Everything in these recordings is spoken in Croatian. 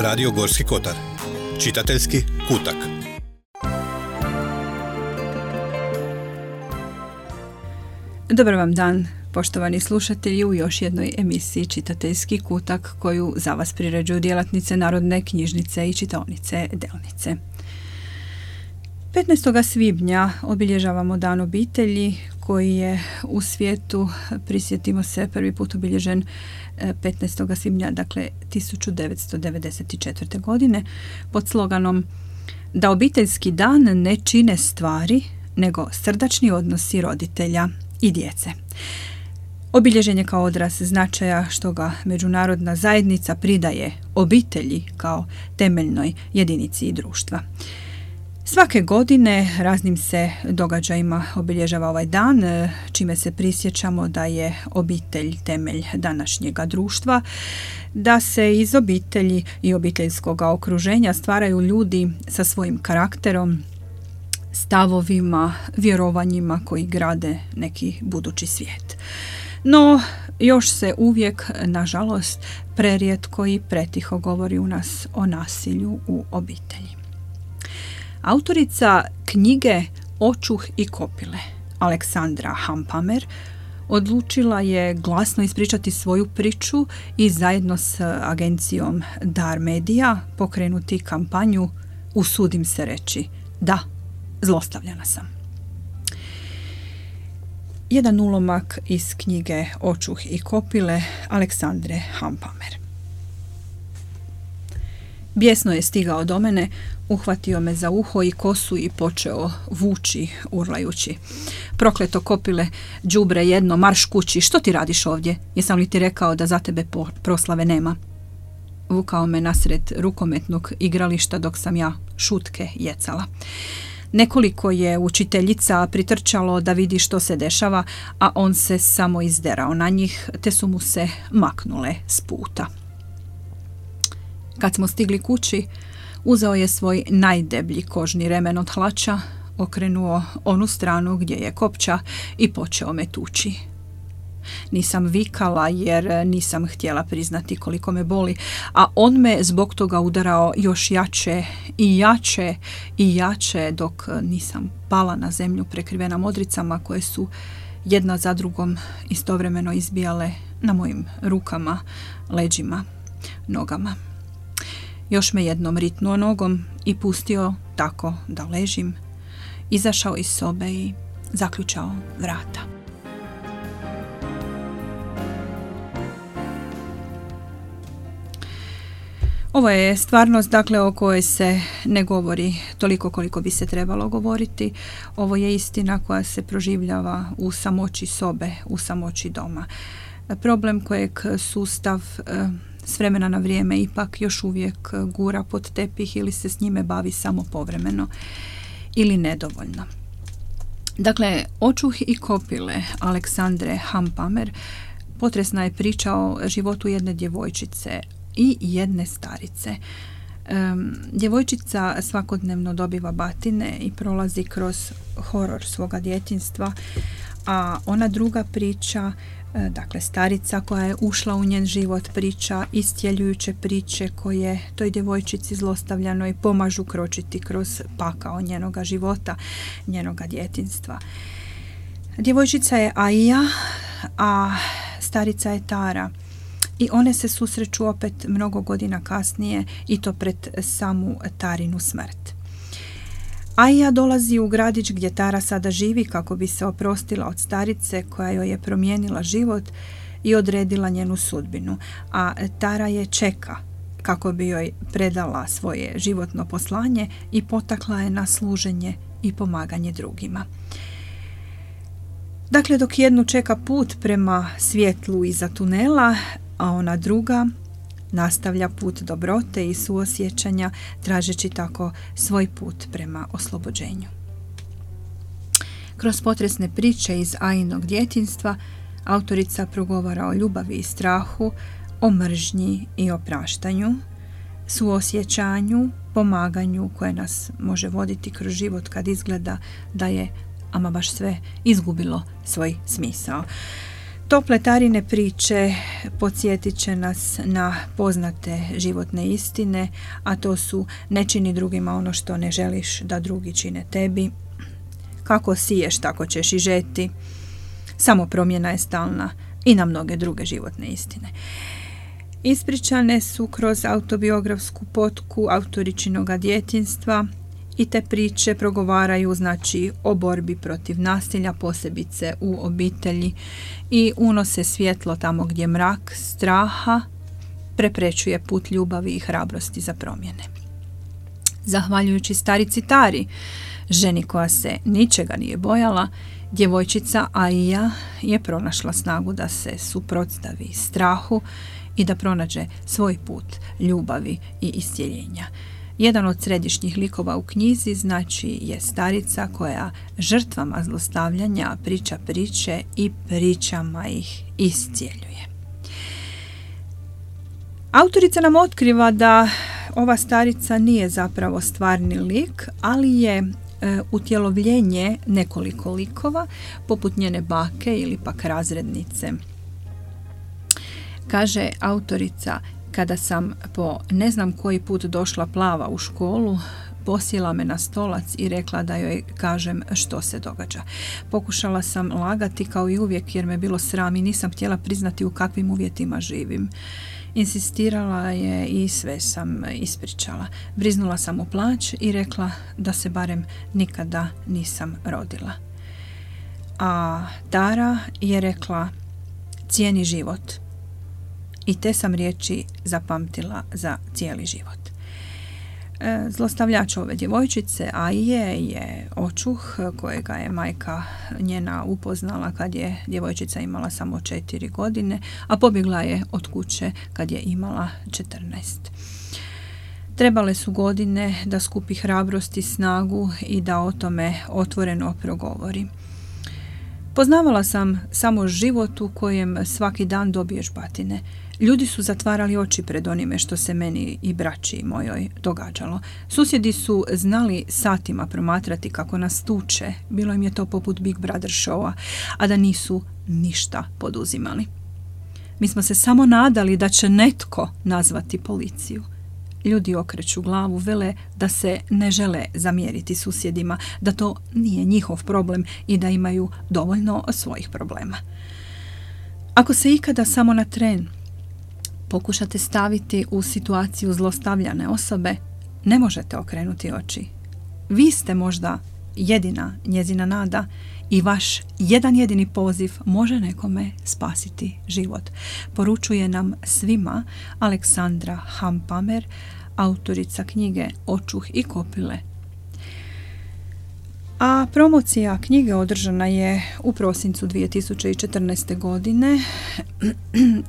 Radio Gorski Kotar. Čitateljski kutak. Dobar vam dan, poštovani slušatelji, u još jednoj emisiji Čitateljski kutak koju za vas priređuju djelatnice Narodne knjižnice i čitaonice Delnice. 15. svibnja obilježavamo Dan obitelji koji je u svijetu, prisjetimo se, prvi put obilježen 15. svibnja, dakle 1994. godine, pod sloganom da obiteljski dan ne čine stvari, nego srdačni odnosi roditelja i djece. Obilježen je kao odraz značaja što ga međunarodna zajednica pridaje obitelji kao temeljnoj jedinici društva. Svake godine raznim se događajima obilježava ovaj dan, čime se prisjećamo da je obitelj temelj današnjega društva, da se iz obitelji i obiteljskog okruženja stvaraju ljudi sa svojim karakterom, stavovima, vjerovanjima koji grade neki budući svijet. No, još se uvijek, nažalost, prerijetko i pretiho govori u nas o nasilju u obitelji. Autorica knjige Očuh i kopile, Aleksandra Hampamer, odlučila je glasno ispričati svoju priču i zajedno s agencijom Dar Media pokrenuti kampanju Usudim se reći da, zlostavljana sam. Jedan ulomak iz knjige Očuh i kopile Aleksandre Hampamer. Bijesno je stigao do mene, uhvatio me za uho i kosu i počeo vući urlajući. Prokleto kopile, đubre jedno, marš kući, što ti radiš ovdje? Jesam li ti rekao da za tebe proslave nema? Vukao me nasred rukometnog igrališta dok sam ja šutke jecala. Nekoliko je učiteljica pritrčalo da vidi što se dešava, a on se samo izderao na njih, te su mu se maknule s puta. Kad smo stigli kući, uzeo je svoj najdeblji kožni remen od hlača, okrenuo onu stranu gdje je kopča i počeo me tući. Nisam vikala jer nisam htjela priznati koliko me boli, a on me zbog toga udarao još jače i jače i jače dok nisam pala na zemlju prekrivena modricama koje su jedna za drugom istovremeno izbijale na mojim rukama, leđima, nogama. Još me jednom ritnuo nogom i pustio tako da ležim, izašao iz sobe i zaključao vrata. Ovo je stvarnost, dakle, o kojoj se ne govori toliko koliko bi se trebalo govoriti. Ovo je istina koja se proživljava u samoći sobe, u samoći doma. Problem kojeg sustav s vremena na vrijeme ipak još uvijek gura pod tepih ili se s njime bavi samo povremeno ili nedovoljno. Dakle, Očuh i kopile Aleksandre Hampamer potresna je priča o životu jedne djevojčice i jedne starice. Djevojčica svakodnevno dobiva batine i prolazi kroz horor svoga djetinjstva, a ona druga priča, dakle starica koja je ušla u njen život, priča istjeljujuće priče koje toj djevojčici zlostavljanoj pomažu kročiti kroz pakao njenoga života, njenoga djetinjstva. Djevojčica je Aija, a starica je Tara. I one se susreću opet mnogo godina kasnije i to pred samu Tarinu smrt. Aija dolazi u gradić gdje Tara sada živi kako bi se oprostila od starice koja joj je promijenila život i odredila njenu sudbinu, a Tara je čeka kako bi joj predala svoje životno poslanje i potakla je na služenje i pomaganje drugima. Dakle, dok jednu čeka put prema svjetlu iza tunela, a ona druga nastavlja put dobrote i suosjećanja, tražeći tako svoj put prema oslobođenju. Kroz potresne priče iz Ajinog djetinjstva autorica progovara o ljubavi i strahu, o mržnji i opraštanju, suosjećanju, pomaganju koje nas može voditi kroz život kad izgleda da je ama baš sve izgubilo svoj smisao. Tople Tarine priče podsjetit će nas na poznate životne istine, a to su: ne čini drugima ono što ne želiš da drugi čine tebi, kako siješ tako ćeš i žeti, samo promjena je stalna i na mnoge druge životne istine. Ispričane su kroz autobiografsku potku autoričinoga djetinjstva i te priče progovaraju o borbi protiv nasilja, posebice u obitelji, i unose svjetlo tamo gdje mrak straha preprečuje put ljubavi i hrabrosti za promjene. Zahvaljujući starici Tari, ženi koja se ničega nije bojala, djevojčica Aija je pronašla snagu da se suprotstavi strahu i da pronađe svoj put ljubavi i iscjeljenja. Jedan od središnjih likova u knjizi je starica koja žrtvama zlostavljanja priča priče i pričama ih iscjeljuje. Autorica nam otkriva da ova starica nije zapravo stvarni lik, ali je utjelovljenje nekoliko likova, poput njene bake ili pak razrednice. Kaže autorica: kada sam po ne znam koji put došla plava u školu, posjela me na stolac i rekla da joj kažem što se događa. Pokušala sam lagati kao i uvijek jer me bilo sram i nisam htjela priznati u kakvim uvjetima živim. Insistirala je i sve sam ispričala. Briznula sam u plać i rekla da se barem nikada nisam rodila. A Tara je rekla: cijeni život. I te sam riječi zapamtila za cijeli život. Zlostavljač ove djevojčice, Aije, je očuh kojega je majka njena upoznala kad je djevojčica imala samo 4 godine, a pobjegla je od kuće kad je imala 14. Trebale su godine da skupi hrabrost i snagu i da o tome otvoreno progovori. Poznavala sam samo život u kojem svaki dan dobiješ batine. Ljudi su zatvarali oči pred onime što se meni i braći mojoj događalo. Susjedi su znali satima promatrati kako nas tuče, bilo im je to poput Big Brother showa, a da nisu ništa poduzimali. Mi smo se samo nadali da će netko nazvati policiju. Ljudi okreću glavu, vele da se ne žele zamjeriti susjedima, da to nije njihov problem i da imaju dovoljno svojih problema. Ako se ikada samo na tren pokušate staviti u situaciju zlostavljane osobe, ne možete okrenuti oči. Vi ste možda jedina njezina nada i vaš jedan jedini poziv može nekome spasiti život. Poručuje nam svima Aleksandra Hampamer, autorica knjige Očuh i kopile. A promocija knjige održana je u prosincu 2014. godine.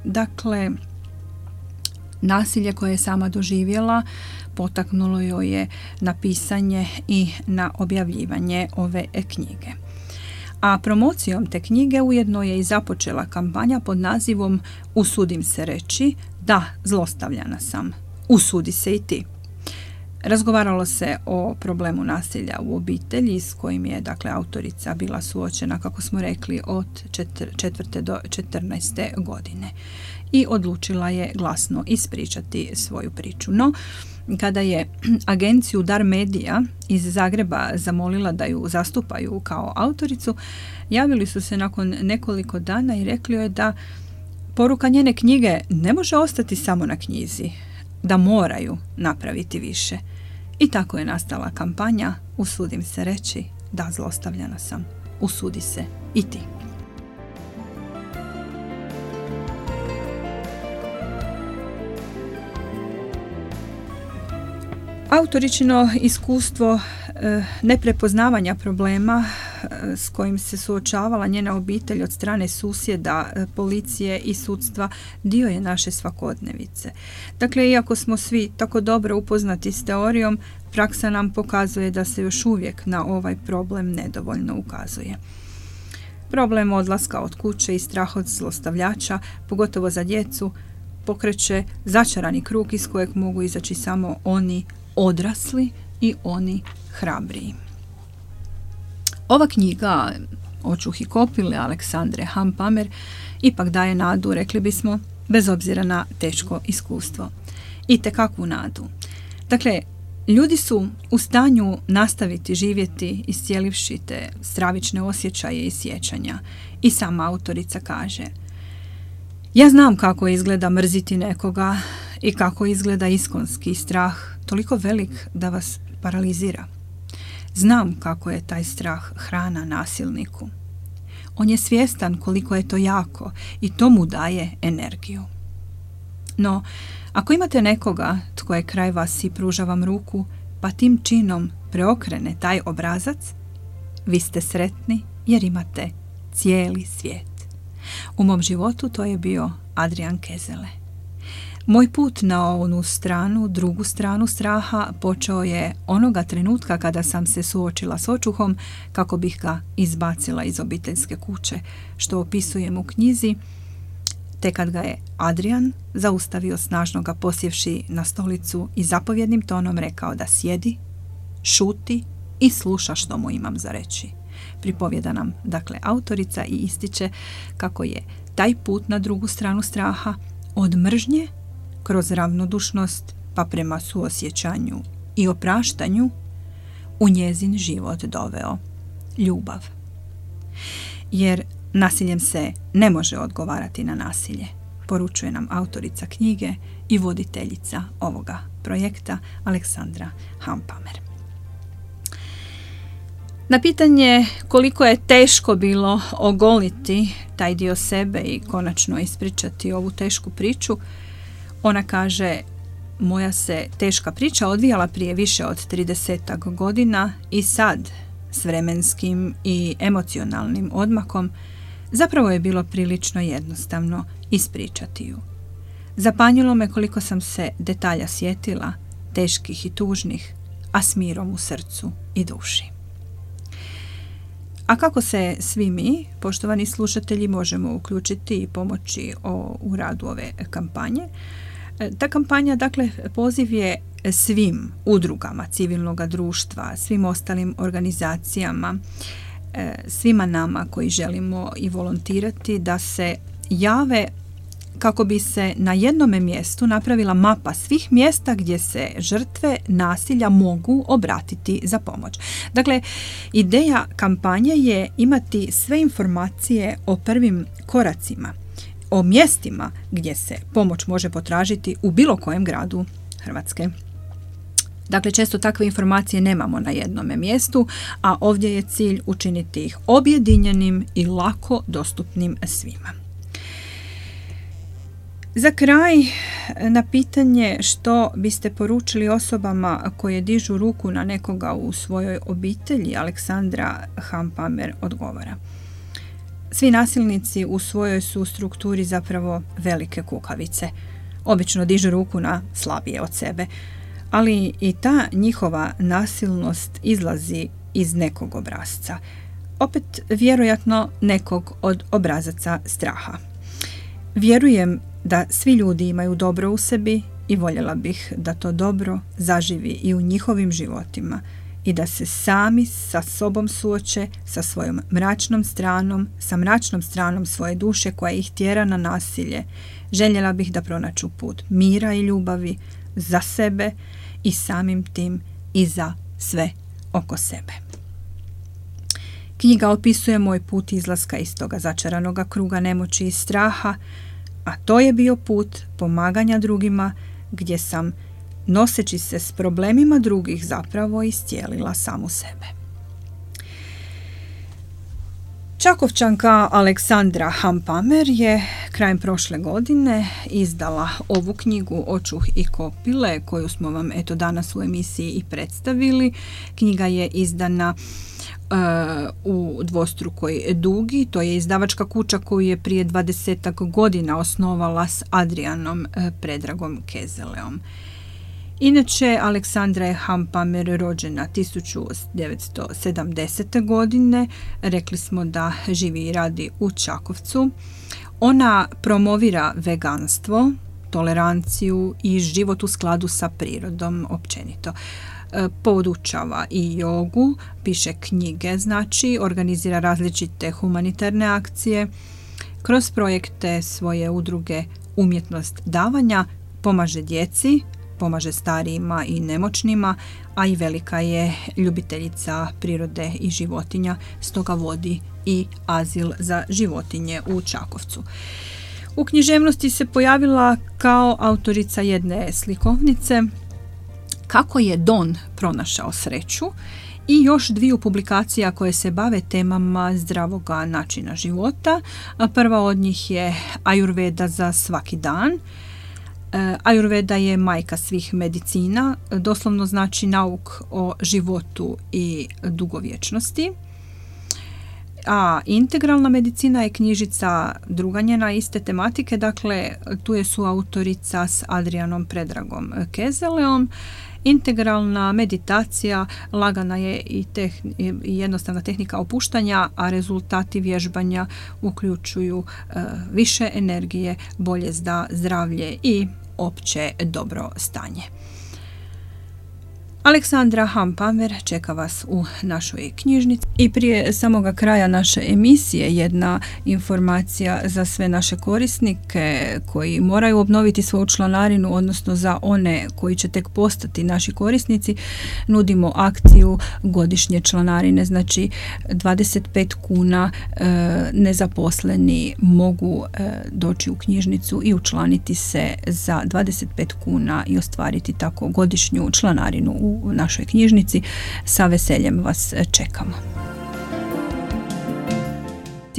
Dakle, nasilje koje je sama doživjela potaknulo joj je na pisanje i na objavljivanje ove knjige. A promocijom te knjige ujedno je i započela kampanja pod nazivom Usudim se reći, da, zlostavljana sam. Usudi se i ti. Razgovaralo se o problemu nasilja u obitelji s kojim je, autorica bila suočena, kako smo rekli, od 4. do 14. godine. I odlučila je glasno ispričati svoju priču. No, kada je agenciju Dar Media iz Zagreba zamolila da ju zastupaju kao autoricu, javili su se nakon nekoliko dana i rekli joj da poruka njene knjige ne može ostati samo na knjizi, da moraju napraviti više. I tako je nastala kampanja Usudim se reći, da, zlostavljana sam. Usudi se i ti. Autoričino iskustvo neprepoznavanja problema s kojim se suočavala njena obitelj od strane susjeda, policije i sudstva dio je naše svakodnevice. Dakle, iako smo svi tako dobro upoznati s teorijom, praksa nam pokazuje da se još uvijek na ovaj problem nedovoljno ukazuje. Problem odlaska od kuće i strah od zlostavljača, pogotovo za djecu, pokreće začarani krug iz kojeg mogu izaći samo oni odrasli i oni hrabriji. Ova knjiga Očuh i kopile Aleksandre Hampamer ipak daje nadu, rekli bismo, bez obzira na teško iskustvo. I tekakvu nadu. Dakle, ljudi su u stanju nastaviti živjeti iscijelivši te stravične osjećaje i sjećanja. I sama autorica kaže: ja znam kako izgleda mrziti nekoga i kako izgleda iskonski strah, toliko velik da vas paralizira. Znam kako je taj strah hrana nasilniku. On je svjestan koliko je to jako i to mu daje energiju. No, ako imate nekoga tko je kraj vas i pruža vam ruku, pa tim činom preokrene taj obrazac, vi ste sretni jer imate cijeli svijet. U mom životu to je bio Adrian Kezele. Moj put na onu stranu, drugu stranu straha počeo je onoga trenutka kada sam se suočila s očuhom kako bih ga izbacila iz obiteljske kuće, što opisujem u knjizi, te kad ga je Adrian zaustavio snažno ga posjevši na stolicu i zapovjednim tonom rekao da sjedi, šuti i sluša što mu imam za reći. Pripovjeda nam, dakle, autorica i ističe kako je taj put na drugu stranu straha od mržnje kroz ravnodušnost pa prema suosjećanju i opraštanju u njezin život doveo ljubav. Jer nasiljem se ne može odgovarati na nasilje, poručuje nam autorica knjige i voditeljica ovoga projekta Aleksandra Hampamer. Na pitanje koliko je teško bilo ogoliti taj dio sebe i konačno ispričati ovu tešku priču, ona kaže: moja se teška priča odvijala prije više od 30 godina i sad, s vremenskim i emocionalnim odmakom, zapravo je bilo prilično jednostavno ispričati ju. Zapanjilo me koliko sam se detalja sjetila, teških i tužnih, a s mirom u srcu i duši. A kako se svi mi, poštovani slušatelji, možemo uključiti i pomoći u radu ove kampanje? Ta kampanja, dakle, poziv je svim udrugama civilnog društva, svim ostalim organizacijama, svima nama koji želimo i volontirati da se jave kako bi se na jednome mjestu napravila mapa svih mjesta gdje se žrtve nasilja mogu obratiti za pomoć. Dakle, ideja kampanje je imati sve informacije o prvim koracima, o mjestima gdje se pomoć može potražiti u bilo kojem gradu Hrvatske. Dakle, često takve informacije nemamo na jednome mjestu, a ovdje je cilj učiniti ih objedinjenim i lako dostupnim svima. Za kraj, na pitanje što biste poručili osobama koje dižu ruku na nekoga u svojoj obitelji, Aleksandra Hampamer odgovara: svi nasilnici u svojoj su strukturi zapravo velike kukavice. Obično dižu ruku na slabije od sebe, ali i ta njihova nasilnost izlazi iz nekog obrasca. Opet, vjerojatno nekog od obrazaca straha. Vjerujem da svi ljudi imaju dobro u sebi i voljela bih da to dobro zaživi i u njihovim životima i da se sami sa sobom suoče sa svojom mračnom stranom, sa mračnom stranom svoje duše koja ih tjera na nasilje. Željela bih da pronađu put mira i ljubavi za sebe i samim tim i za sve oko sebe. Knjiga opisuje moj put izlaska iz toga začaranoga kruga nemoći i straha, a to je bio put pomaganja drugima gdje sam, noseći se s problemima drugih, zapravo iscijelila samu sebe. Čakovčanka Aleksandra Hampamer je krajem prošle godine izdala ovu knjigu Očuh i kopile, koju smo vam eto danas u emisiji i predstavili. Knjiga je izdana u dvostrukoj dugi. To je izdavačka kuća koju je prije 20 godina osnovala s Adrianom Predragom Kezeleom. Inače, Aleksandra je Hampamer rođena 1970. godine. Rekli smo da živi i radi u Čakovcu. Ona promovira veganstvo, toleranciju i život u skladu sa prirodom općenito. Podučava i jogu, piše knjige, znači organizira različite humanitarne akcije. Kroz projekte svoje udruge Umjetnost davanja pomaže djeci, pomaže starijima i nemoćnima, a i velika je ljubiteljica prirode i životinja, stoga vodi i azil za životinje u Čakovcu. U književnosti se pojavila kao autorica jedne slikovnice Kako je Don pronašao sreću i još 2 publikacija koje se bave temama zdravoga načina života. Prva od njih je Ajurveda za svaki dan. Ajurveda je majka svih medicina, doslovno znači nauk o životu i dugovječnosti. A integralna medicina je knjižica druga njena iste tematike, dakle tu je suautorica s Adrianom Predragom Kezeleom. Integralna meditacija lagana je i jednostavna tehnika opuštanja, a rezultati vježbanja uključuju više energije, bolje zdravlje i opće dobro stanje. Aleksandra Hampamer čeka vas u našoj knjižnici. I prije samoga kraja naše emisije jedna informacija za sve naše korisnike koji moraju obnoviti svoju članarinu, odnosno za one koji će tek postati naši korisnici, nudimo akciju godišnje članarine, znači 25 kuna nezaposleni mogu doći u knjižnicu i učlaniti se za 25 kuna i ostvariti tako godišnju članarinu u našoj knjižnici. Sa veseljem vas čekamo.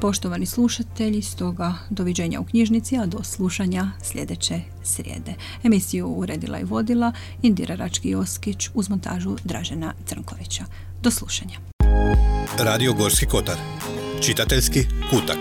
Poštovani slušatelji, stoga doviđenja u knjižnici, a do slušanja sljedeće srijede. Emisiju uredila i vodila Indira Rački-Joskić uz montažu Dražena Crnkovića. Do slušanja. Radio Gorski kotar. Čitateljski kutak.